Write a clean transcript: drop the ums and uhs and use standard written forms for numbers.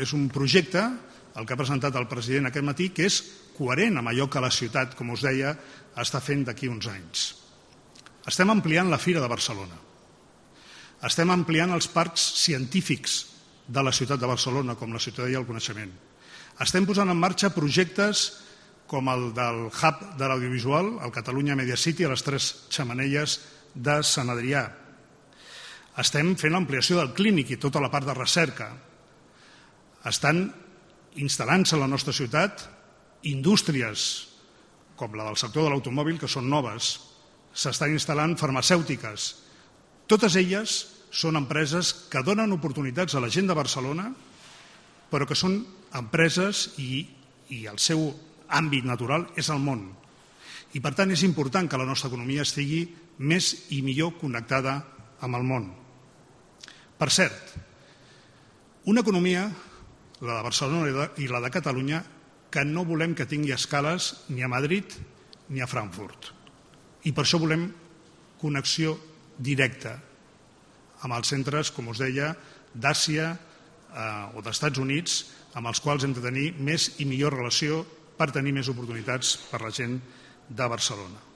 és un projecte, el que ha presentat el president aquest matí, que és coherent amb allò que la ciutat, com us deia, està fent d'aquí uns anys. Estem ampliant la Fira de Barcelona. Estem ampliant els parcs científics de la ciutat de Barcelona, com la Ciutadella del Coneixement. Estem posant en marxa projectes com el del hub de l'audiovisual, el Catalunya Media City, a les 3 Xemeneies de Sant Adrià. Estem fent l'ampliació del clínic i tota la part de recerca. Estan instal·lant-se a la nostra ciutat indústries com la del sector de l'automòbil, que són noves. S'estan instal·lant farmacèutiques. Totes elles són empreses que donen oportunitats a la gent de Barcelona, però que són empreses i el seu àmbit natural és el món. I per tant és important que la nostra economia estigui més i millor connectada amb el món. Per cert, una economia, la de Barcelona i la de Catalunya, que no volem que tingui escales ni a Madrid ni a Frankfurt. I per això volem connexió directa amb els centres, com us deia, d'Àsia o d'Estats Units, amb els quals hem de tenir més i millor relació per tenir més oportunitats per a la gent de Barcelona.